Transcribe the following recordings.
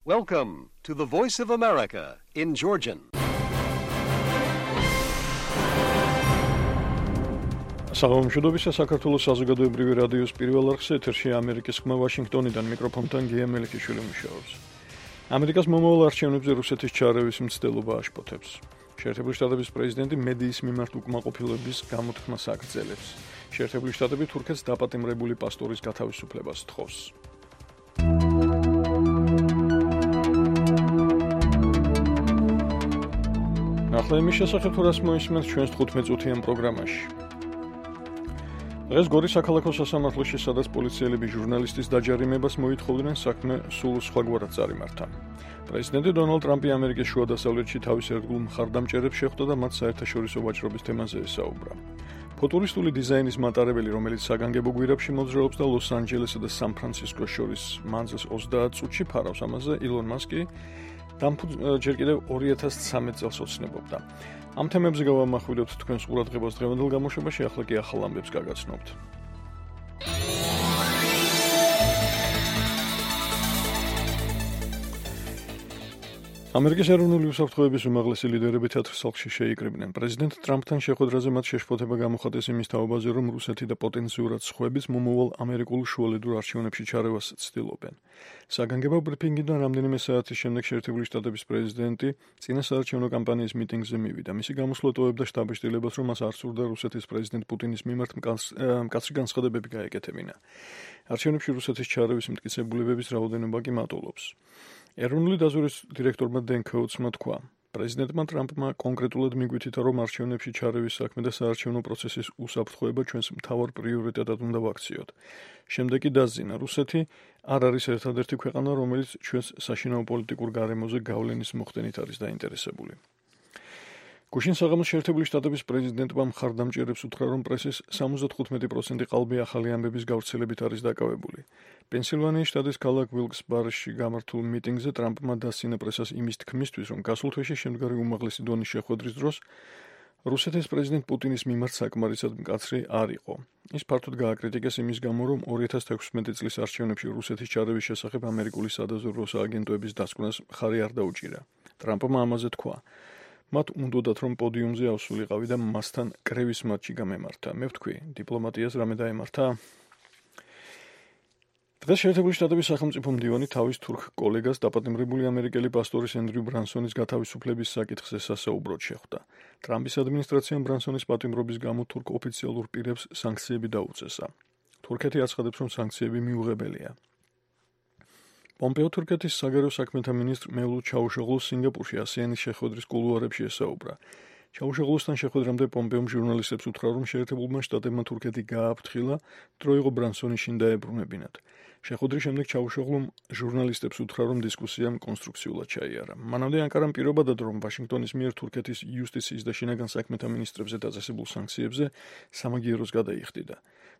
Welcome to the Voice of America in Georgian. Საღამომშვიდობისა საქართველოს საზოგადოებრივი რადიოს პირველ არხზე ეთერშია ამერიკის ხმა ვაშინგტონიდან მიკროფონთან გია მელიქიშვილი მუშაობს. ამერიკას მომავალ არჩევნებზე რუსეთის ჩარევის მცდელობა აშფოთებს. შეერთებული შტატების პრეზიდენტი მედიის მიმართ უკმაყოფილების გამოთქმას აგრძელებს. შეერთებული შტატები თურქეთს დაპატიმრებული პასტორის გათავისუფლებას თხოვს. ახლა იმის შესახებ თუ რას მოისმენთ ჩვენს 15-წუთიან პროგრამაში. დღეს გორის საქალაქო სასამართლოში, სადაც პოლიციელები ჟურნალისტის დაჯარიმებას მოითხოვდნენ, საქმე სულ სხვაგვარად წარიმართა. პრეზიდენტი დონალდ ტრამპი ამერიკის შუა დასავლეთში თავის ერთგულ მხარდამჭერებს შეხვდა და მათ საერთაშორისო ვაჭრობის თემაზე ესაუბრა. ფუტურისტული დიზაინის მატარებელი, რომელიც საგანგებო გვირაბში მოძრაობს და ლოს-ანჯელესსა და სან-ფრანცისკოს შორის მანძილს 30 წუთში ფარავს, ამაზე ილონ მასკი ჯერ კიდევ 2013 წელს ოცნებობდა. ამ თემებზე გავამახვილებთ თქვენს ყურადღებას დღევანდელ გამოშვებაში, ახლა კი ახალ ამბებს გაგაცნობთ. ამერიკის ეროვნული უსაფრთხოების უმაღლესი ლიდერები თეთრ სახლში შეიკრიბნენ. პრეზიდენტ ტრამპთან შეხვედრაზე მათ შეშფოთება გამოხატეს იმის თაობაზე, რომ რუსეთი და პოტენციურად სხვების მომავალ ამერიკულ შუალედურ არჩევნებში ჩარევას ცდილობენ. საგანგებო ბრიფინგიდან რამდენიმე საათის შემდეგ შეერთებული შტატების პრეზიდენტი წინასაარჩევნო კამპანიის მიტინგზე მივიდა. მისი გამოსვლა ტოვებდა შტაბ-შტილებას, რომ მას არ სურდა რუსეთის პრეზიდენტ პუტინის მიმართ მკაცრი განცხადებები გაეკეთებინა. არჩევნებში რუსეთის ჩარევის მტკიცებულებების რაოდენობა კი მატულობს. ეროვნული დაზვერვის დირექტორმა დენ კოუთსმა თქვა, პრეზიდენტმა ტრამპმა კონკრეტულად მიგვითითა, რომ არჩევნებში ჩარევის საქმე და საარჩევნო პროცესის უსაფრთხოება ჩვენს მთავარ პრიორიტეტად უნდა ვაქციოთ. შემდეგ კი დასძინა, რუსეთი არ არის ერთადერთი ქვეყანა, რომელიც ჩვენს საშინაო პოლიტიკურ გარემოზე გავლენის მოხდენით არის დაინტერესებული. გუშინ საღამოს შეერთებული შტატების პრეზიდენტმა მხარდამჭერებს უთხრა, რომ პრესის 75% ყალბი ახალი ამბების გავრცელებით არის დაკავებული. პენსილვანიის შტატის ქალაქ ვილკს-ბარში გამართულ მიტინგზე ტრამპმა დასცინა პრესას იმის თქმისთვის, რომ გასულ თვეში შემდგარი უმაღლესი დონის შეხვედრის დროს რუსეთის პრეზიდენტ პუტინის მიმართ საკმარისად მკაცრი არ იყო. ის ფართოდ გააკრიტიკეს იმის გამო, რომ 2016 წლის არჩევნებში რუსეთის ჩარევის შესახებ ამერიკული სადაზვერვო სააგენტოების დასკვნას მხარი არ დაუჭირა. ტრამპმა ამაზე თქვა, მათ უნდოდათ, რომ პოდიუმზე ავსულიყავი და მასთან კრევის მატჩი გამემართა. მე ვთქვი, დიპლომატიას რამე დაემართა? დღეს შეერთებული შტატების სახელმწიფო მდივანი თავის თურქ კოლეგას დაპატიმრებული ამერიკელი პასტორის ენდრიუ ბრანსონის გათავისუფლების საკითხზე სასაუბროდ შეხვდა. ტრამპის ადმინისტრაციამ ბრანსონის პატიმრობის გამო თურქ ოფიციალურ პირებს სანქციები დაუწესა. თურქეთი აცხადებს, რომ სანქციები მიუღებელია. პომპეო თურქეთის საგარეო საქმეთა მინისტრ მევლუდ ჩავუშოღლუს სინგაპურში ASEAN-ის შეხვედრის კულუარებში ესაუბრა. ჩავუშოღლუსთან შეხვედრამდე პომპეომ ჟურნალისტებს უთხრა, რომ შეერთებულმა შტატებმა თურქეთი გააფრთხილა, დრო იყო ბრანსონი შინ დაებრუნებინათ. შეხვედრის შემდეგ ჩავუშოღლუმ ჟურნალისტებს უთხრა, რომ დისკუსიამ კონსტრუქციულად ჩაიარა. მანამდე ანკარამ პირობადად, რომ ვაშინგტონის მიერ თურქეთის იუსტიციის და შინაგან საქმეთა მინისტრებზე დაწესებულ სანქციებზე სამაგიეროს გადაიხდიდა.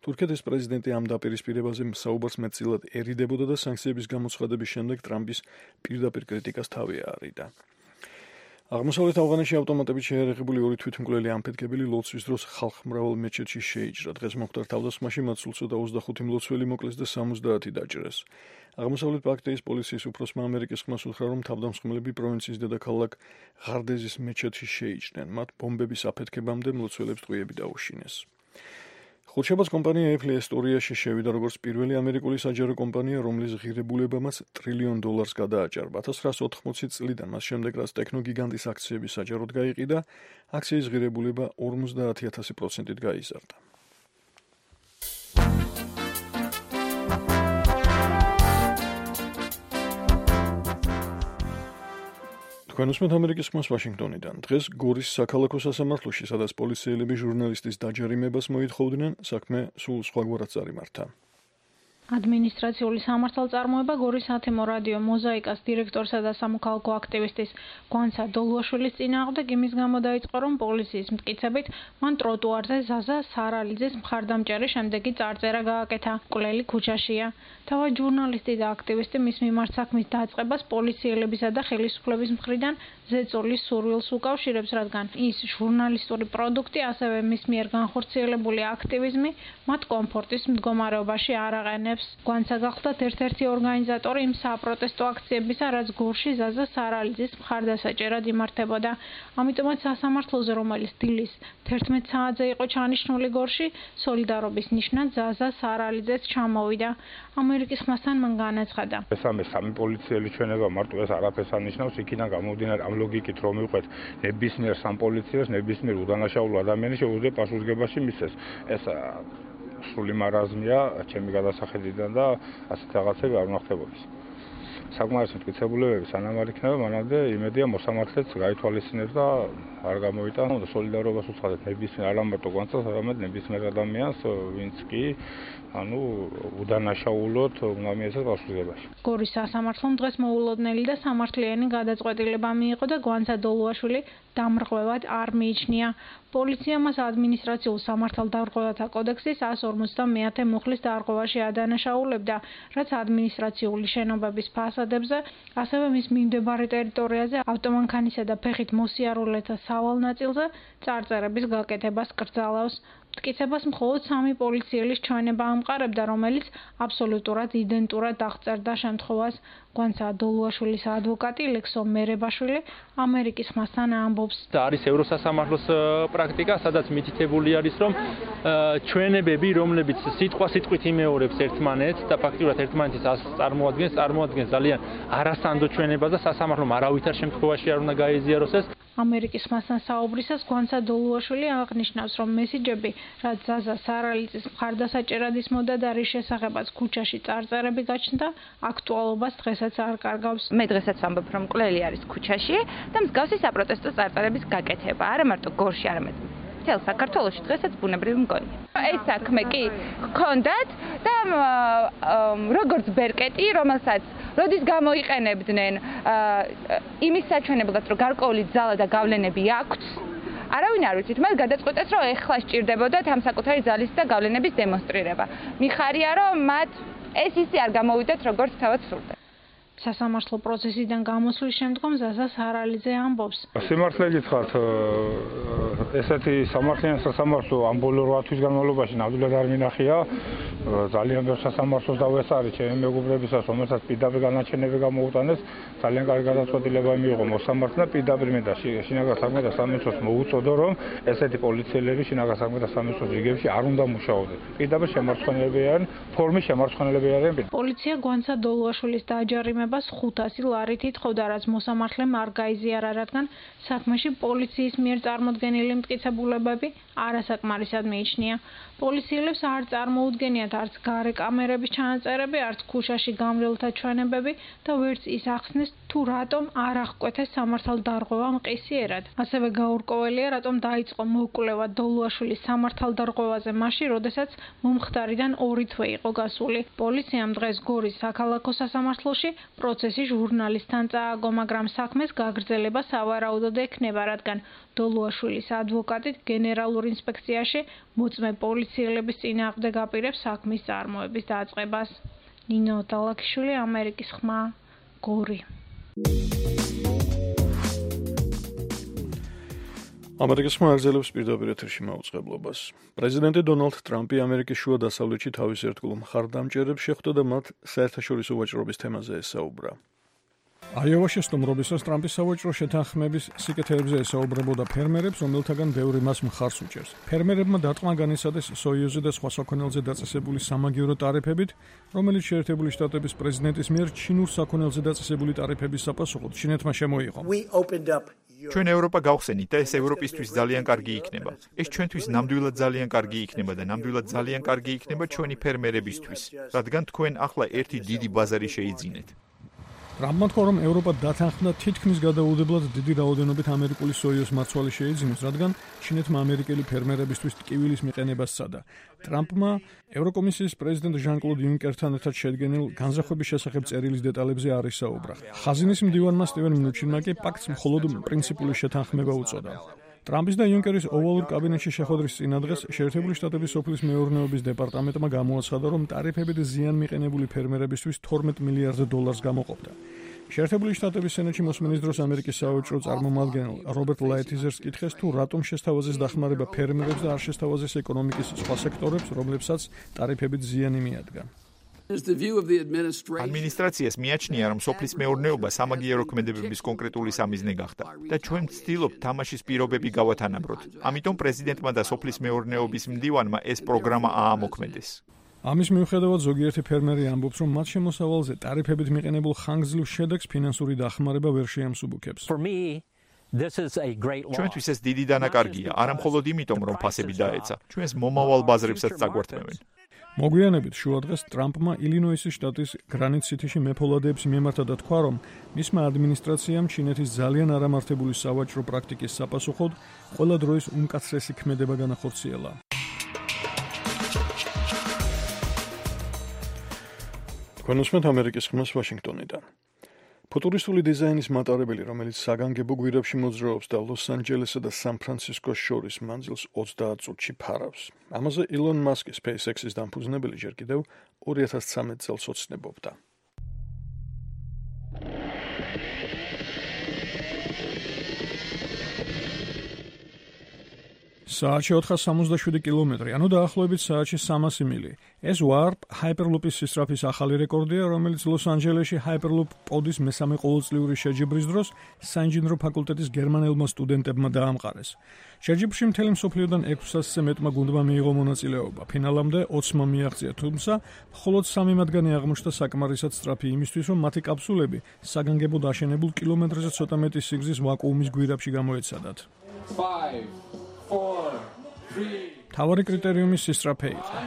თურქეთის პრეზიდენტი ამ დაპირისპირებაზე საუბარს მეტწილად ერიდებოდა და სანქციების გამოცხადების შემდეგ ტრამპის პირდაპირ კრიტიკას თავი აარიდა. აღმოსავლეთ ავღანეთში ავტომატებით შეერაღებული 2 თვითმკვლელი ამფეთქებელი ლოცვის დროს ხალხმრავალ მეჩეთში შეიჭრა. დღეს მომხდარ თავდასხმაში მათ სულ ცოტა 25 მლოცველი მოკლეს და 70 დაჭრეს. აღმოსავლეთ პაქტეის პოლიციის უფროსმა ამერიკის ხმას უთხრა, რომ თავდამსხმელები პროვინციის დედაქალაქ ღარდეზის მეჩეთში შეიჭრნენ. მათ ბომბების აფეთქებამდე მლოცველებს ტყვიები დაუშინეს. ხუთშაბათს კომპანია Apple ისტორიაში შევიდა როგორც პირველი ამერიკული საჯარო კომპანია, რომლის ღირებულებამაც $1 ტრილიონ გადააჭარბა. 1980 წლიდან მას შემდეგ, რაც ტექნოგიგანტის აქციები საჯაროდ გაიყიდა, აქციის ღირებულება 50,000%-ით გაიზარდა. თქვენ უსმენთ ამერიკის ხმას ვაშინგტონიდან. დღეს გორის საქალაქო სასამართლოში, სადაც პოლიციელები ჟურნალისტის დაჯარიმებას მოითხოვდნენ, საქმე სულ სხვაგვარად წარიმართა. ადმინისტრაციული სამართალწარმოება გორის ათემო რადიო მოზაიკას დირექტორსა და სამოქალაქო აქტივისტის გვანცა დოლუაშვილის წინააღმდეგ იმის გამო დაიწყო, რომ პოლიციის მტკიცებით მან ტროტუარზე ზაზა სარალიძის მხარდამჭერი შემდეგი წარწერა გააკეთა. მკვლელი ქუჩაშია. თავად ჟურნალისტი და აქტივისტი მის მიმართ საქმის დაწყებას პოლიციელებისა და ხელისუფლების მხრიდან ზეწოლის სურვილს უკავშირებს, რადგან ის ჟურნალისტური პროდუქტი, ასევე მის მიერ განხორციელებული აქტივიზმი მათ კომფორტის მდგომარეობაში არ აყენებს. აკეთებს. გვანცა გახლდათ ერთ-ერთი ორგანიზატორი იმ საპროტესტო აქციებისა, რაც გორში ზაზა სარალიძის მხარდასაჭერად იმართებოდა. ამიტომაც სასამართლოზე, რომელიც დილის 11 საათზე იყო ჩანიშნული გორში, სოლიდარობის ნიშნად ზაზა სარალიძეც ჩამოვიდა. ამერიკის ხმასთან მან განაცხადა. ეს სამი პოლიციელი ჩვენება მარტო ეს არაფერს ანიშნავს, იქიდან გამომდინარე ამ ლოგიკით რომ მივყვეთ ნებისმიერ სამ პოლიციას, ნებისმიერ უდანაშაულო ადამიანს შეუძლია პასუხისგებაში მისცეს. ეს სრული მარაზმია ჩემი გადასახედიდან და ასეთ რაღაცები არ უნდა ხდებოდეს. საკმარისი მტკიცებულებები სანამ არ იქნება, მანამდე იმედია მოსამართლეც გაითვალისწინებს და არ გამოიტანა და სოლიდარობას უცხადეთ ნებისმიერ არა მარტო გვანცას, არამედ ნებისმიერ ადამიანს, ვინც კი უდანაშაულოდ უნდა მიეცეს პასუხისგებაში. გორის სასამართლომ დღეს მოულოდნელი და სამართლიანი გადაწყვეტილება მიიღო და გვანცა დოლუაშვილი დამრღვევად არ მიიჩნია. პოლიცია მას ადმინისტრაციულ სამართალდარღვევათა კოდექსის 150 მუხლის დარღვევაში ადანაშაულებდა, რაც ადმინისტრაციული შენობების ფასადებზე, ასევე მის მიმდებარე ტერიტორიაზე ავტომანქანისა და ფეხით მოსიარულეთა სავალ ნაწილზე წარწერების გაკეთებას კრძალავს. მტკიცებას მხოლოდ 3 პოლიციელის ჩვენება ამყარებდა, რომელიც აბსოლუტურად იდენტურად აღწერდა შემთხვევას. გვანცა დოლუაშვილის ადვოკატი ლექსო მერებაშვილი ამერიკის ხმასთან ამბობს. არის ევროსასამართლოს პრაქტიკა, სადაც მითითებული არის, რომ ჩვენებები, რომლებიც სიტყვით იმეორებს ერთმანეთს და ფაქტიურად ერთმანეთის წარმოადგენს ძალიან არასანდო ჩვენებას და სასამართლომ არავითარ შემთხვევაში არ უნდა გაეზიაროს ეს. ამერიკის ხმასთან საუბრისას გვანცა დოლუაშვილი აღნიშნავს, რომ მესიჯები, რაც ზაზა სარალიძის მხარდასაჭერად ისმოდა და რის შესახებაც ქუჩაში წარწერები გაჩნდა, აქტუალობას დღესაც არ კარგავს. მე დღესაც ვამბობ, რომ მკვლელი არის ქუჩაში და მსგავსი საპროტესტო წარწერების გაკეთება, არა მარტო გორში, არამედ მთელ საქართველოში დღესაც ბუნებრივი მგონია. ეს საქმე კი ჰქონდათ და როგორც ბერკეტი, რომელსაც როდის გამოიყენებდნენ იმის საჩვენებლად, რომ გარკვეული ძალა და გავლენები აქვს, არავინ არ ვიცით, მათ გადაწყვეტეს, რომ ეხლა სჭირდებოდათ ამ საკუთარი ძალის და გავლენების დემონსტრირება. მიხარია, რომ მათ ეს ისე არ გამოვიდათ, როგორც თავად სურდა. სასამართლო პროცესიდან გამოსვლის შემდგომ ზაზა სარალიძე ამბობს. სიმართლე გითხრათ, ესეთი სამართლიანი სასამართლო ამ ბოლო 8 თვის განმავლობაში ნამდვილად არ მინახია. ძალიან ბევრ სასამართლოს დავესწარი ჩემი მეგობრებისას, რომელსაც პირდაპირ განაჩენები გამოუტანეს, ძალიან კარგი გადაწყვეტილება მიიღო მოსამართლე და პირდაპირ მე და შინაგან საქმეთა სამინისტროს მოუწოდო, რომ ესეთი პოლიციელები შინაგან საქმეთა სამინისტროს რიგებში არ უნდა მუშაობდნენ. პირდაპირ შემარცხენელები არიან, ფორმის შემარცხენელები არიან. პოლიცია გვანცა დოლუაშვილის დაჯარიმებას 500 ლარით ითხოვდა, რაც მოსამართლემ არ გაიზიარა, რადგან საქმეში პოლიციის მიერ წარმოდგენილი მტკიცებულებები არასაკმარისად მიიჩნია. პოლიციელებს არ წარმოუდგენიათ არც გარე კამერების ჩანაწერები, არც ქუჩაში გამრავლთა ჩვენებები და ვერც ის ახსნეს, თუ რატომ არ აღკვეთეს სამართალდარღვევა მყისიერად. ასევე გაურკვეველია, რატომ დაიწყო მოკვლევა დოლუაშვილის სამართალდარღვევაზე მაშინ, როდესაც მომხდარიდან 2 თვე იყო გასული. პოლიციამ დღეს გორის საქალაქო სასამართლოში პროცესი ჟურნალისტთან წააგო, მაგრამ საქმეს გაგრძელება სავარაუდოდ ექნება, რადგან დოლუაშვილის ადვოკატი გენერალურ ინსპექციაში მოწმე პოლიციელების წინააღმდეგ აპირებს საქმის წარმოების დაწყებას. ნინო დალაქიშვილი, ამერიკის ხმა, გორი. ამერიკის ხმა აგრძელებს პირდაპირ ეთერში მაუწყებლობას. პრეზიდენტი დონალდ ტრამპი ამერიკის შუა დასავლეთში თავის ერთგულ მხარდამჭერებს შეხვდა და მათ საერთაშორისო ვაჭრობის თემაზე ესაუბრა. აიოვაში სტუმრობისას ტრამპის სავაჭრო შეთანხმების სიკეთეებზე ესაუბრებოდა ფერმერებს, რომელთაგან ბევრი მას მხარს უჭერს. ფერმერებმა დარტყმა განიცადეს სოიუზზე და სხვა საქონელზე დაწესებული სამაგიერო ტარიფებით, რომელიც შეერთებული შტატების პრეზიდენტის მიერ ჩინურ საქონელზე დაწესებული ტარიფების საპასუხოდ ჩინეთმა შემოიღო. ჩვენ ევროპა გავხსენით და ეს ევროპისთვის ძალიან კარგი იქნება. ეს ჩვენთვის ნამდვილად ძალიან კარგი იქნება და ნამდვილად ძალიან კარგი იქნება ჩვენი ფერმერებისთვის, რადგან თქვენ ახლა ერთი დიდი ბაზარი შეიძინეთ. ტრამპმა თქვა, რომ ევროპა დათანხმდა თითქმის გადაუდებლად დიდი რაოდენობით ამერიკული სოიოს მარცვალი შეიძინოს, რადგან ჩინეთმა ამერიკელი ფერმერებისთვის ტკივილის მიყენებას სცადა. ტრამპმა ევროკომისიის პრეზიდენტ ჟან-კლოდ იუნკერთან ერთად შედგენილ განზრახვების შესახებ წერილის დეტალებზე არ ისაუბრა. ხაზინის მდივანმა სტივენ მნუჩინმა კი პაქტს მხოლოდ პრინციპული შეთანხმება უწოდა. ტრამპის და იუნკერის ოვალურ კაბინეტში შეხვედრის წინადღეს შეერთებული შტატების სოფლის მეურნეობის დეპარტამენტმა გამოაცხადა, რომ ტარიფებით ზიან მიყენებული ფერმერებისთვის $12 მილიარდ გამოყოფდა. შეერთებული შტატების სენატში მოსმენის დროს ამერიკის სავაჭრო წარმომადგენელ რობერტ ლაითიზერს კითხეს, თუ რატომ შესთავაზეს დახმარება ფერმერებს და არ შესთავაზეს ეკონომიკის სხვა სექტორებს, რომლებსაც ტარიფებით ზიანი მიადგა. ადმინისტრაციას მიაჩნია, რომ სოფლის მეურნეობა სამაგიერო ქმედებების კონკრეტული სამიზნე გახდა და ჩვენ ვცდილობთ თამაშის პირობები გავათანაბროთ. ამიტომ პრეზიდენტმა და სოფლის მეურნეობის მდივანმა ეს პროგრამა აამოქმედეს. ამის მიუხედავად ზოგიერთი ფერმერი ამბობს, რომ მათ შემოსავალზე ტარიფებით მიყენებულ ხანგრძლივ შედეგს ფინანსური დახმარება ვერ შეამსუბუქებს. ჩვენთვის ეს დიდი დანაკარგია, არა მხოლოდ იმიტომ, რომ ფასები დაეცა, ჩვენს მომავალ ბაზრებსაც წაგვართმევენ. მოგვიანებით შუადღეს ტრამპმა ილინოისის შტატის გრანიტ სიტიში მეფოლადეებს მიმართა და თქვა, რომ მისმა ადმინისტრაციამ ჩინეთის ძალიან არამართებული სავაჭრო პრაქტიკის საპასუხოდ ყველა დროის უმკაცრესი ქმედება განახორციელა. თქვენოსმეთ ამერიკის ხმას ვაშინგტონიდან. ფუტურისტული დიზაინის მატარებელი, რომელიც საგანგებო გვირაბში მოძრაობს და ლოს-ანჯელესსა და სან-ფრანცისკოს შორის მანძილს 30 წუთში ფარავს. ამაზე ილონ მასკი, SpaceX-ის დამფუძნებელი, ჯერ კიდევ 2013 წელს ოცნებობდა. საათში 467 კილომეტრი, ანუ დაახლოებით საათში 300 მილი. ეს Warp Hyperloop-ის სისწრაფის ახალი რეკორდია, რომელიც ლოს-ანჯელესში Hyperloop პოდის მესამე ყოველწლიური შეჯიბრის დროს საინჟინრო ფაკულტეტის გერმანელმა სტუდენტებმა დაამყარეს. შეჯიბრში მთელი მსოფლიოდან 600-ზე მეტმა გუნდმა მიიღო მონაწილეობა. ფინალამდე 20-მა მიაღწია, თუმცა მხოლოდ 3 მათგანი აღმოჩნდა საკმარისად სწრაფი იმისთვის, რომ მათი კაფსულები საგანგებოდ აშენებულ კილომეტრზე ცოტა მეტი სიგრძის ვაკუუმის გვირაბში გამოეცადათ. 5 თავარი კრიტერიუმი სისწრაფე იყო.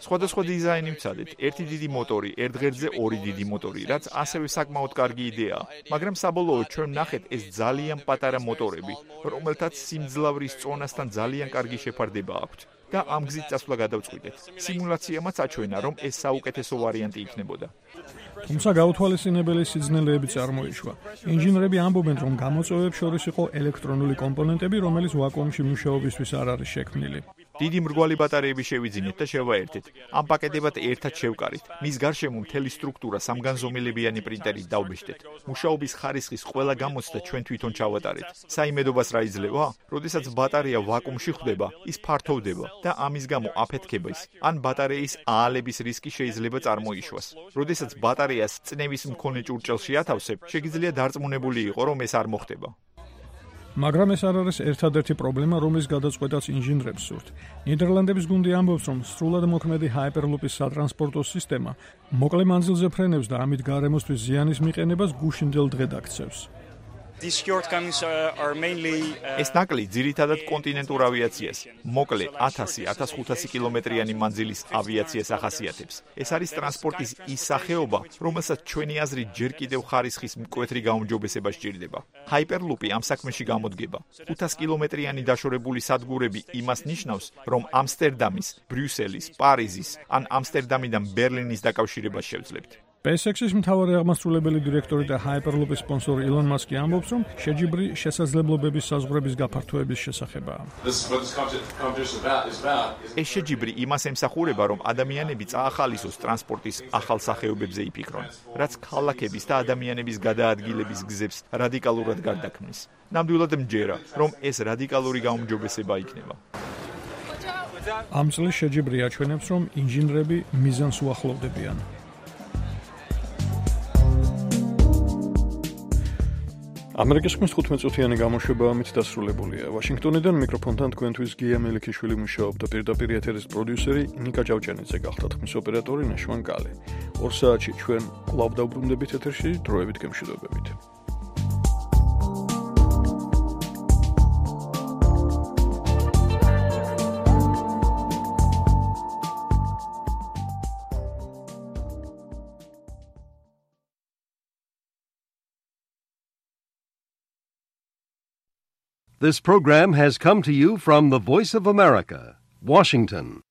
სხვადასხვა დიზაინი ვცადეთ. ერთი დიდი მოტორი, ერთ ღერძზე 2 დიდი მოტორი, რაც ასევე საკმაოდ კარგი იდეაა. მაგრამ საბოლოოდ ჩვენ ვნახეთ ეს ძალიან პატარა მოტორები, რომელთაც სიმძლავრის წონასთან ძალიან კარგი შეფარდება აქვთ. და ამ გზით წასვლა გადავწყვიტეთ. სიმულაციამაც აჩვენა, რომ ეს საუკეთესო ვარიანტი იქნებოდა. თუმცა გაუთვალისწინებელი სიძნელეები წარმოიშვა. ინჟინრები ამბობენ, რომ გამოწვევებს შორის იყო ელექტრონული კომპონენტები, რომელიც ვაკუუმში მუშაობისთვის არ არის შექმნილი. დიდი მრგვალი ბატარეები შევიძინეთ და შევაერთეთ. ამ პაკეტებად ერთად შევკარით. მის გარშემო მთელი სტრუქტურა სამგანზომილებიანი პრინტერით დავბეჭდეთ. მუშაობის ხარისხის ყველა გამოცდა ჩვენ თვითონ ჩავატარეთ. საიმედობას რა იძლევა? როდესაც ბატარეა ვაკუუმში ხვდება, ის ფართოვდება და ამის გამო აფეთქების ან ბატარეის აალების რისკი შეიძლება წარმოიშვას. როდესაც ბატარეას წნევის მქონე ჭურჭელში ათავსებ, შეგიძლია დარწმუნებული იყო, რომ ეს არ მოხდება. მაგრამ ეს არ არის ერთადერთი პრობლემა, რომლის გადაწყვეტაც ინჟინრებს სურთ. ნიდერლანდების გუნდი ამბობს, რომ სრულად მოქმედი Hyperloop-ის სატრანსპორტო სისტემა მოკლე მანძილზე ფრენებს და ამით გარემოსთვის ზიანის მიყენებას გუშინდელ დღედ აქცევს. ეს ნაკლი ძირითადად კონტინენტურ ავიაციას, მოკლე 1000-1500 კილომეტრიანი მანძილის ავიაციას ახასიათებს. ეს არის ტრანსპორტის ის სახეობა, რომელსაც ჩვენი აზრით ჯერ კიდევ ხარისხის მკვეთრი გაუმჯობესება სჭირდება. Hyperloop-ი ამ საქმეში გამოდგება. 500 კილომეტრიანი დაშორებული სადგურები იმას ნიშნავს, რომ ამსტერდამის, ბრიუსელის, პარიზის ან ამსტერდამიდან ბერლინის დაკავშირებას შევძლებთ. SpaceX-ის მთავარი აღმასრულებელი დირექტორი და Hyperloop-ის სპონსორი ილონ მასკი ამბობს, რომ შეჯიბრი შესაძლებლობების საზღვრების გაფართოების შესახებაა. ეს შეჯიბრი იმას ემსახურება, რომ ადამიანები წაახალისოს ტრანსპორტის ახალ სახეობებზე იფიქრონ, რაც ქალაქების და ადამიანების გადაადგილების გზებს რადიკალურად გარდაქმნის. ნამდვილად მჯერა, რომ ეს რადიკალური გაუმჯობესება იქნება. ამ წლის შეჯიბრი აჩვენებს, რომ ინჟინრები მიზანს უახლოვდებიან. ამერიკის ხმის 15 წუთიანი გამოშვება ამით დასრულებულია. ვაშინგტონიდან მიკროფონთან თქვენთვის გია მელიქიშვილი მუშაობდა, პირდაპირ ეთერის პროდიუსერი ნიკა ჭავჭანიძე გახდა, ხმის ოპერატორი ნაშვან კალე. 2 საათში ჩვენ კვლავ დავბრუნდებით ეთერში, დროებით გემშვიდობებით. This program has come to you from the Voice of America, Washington.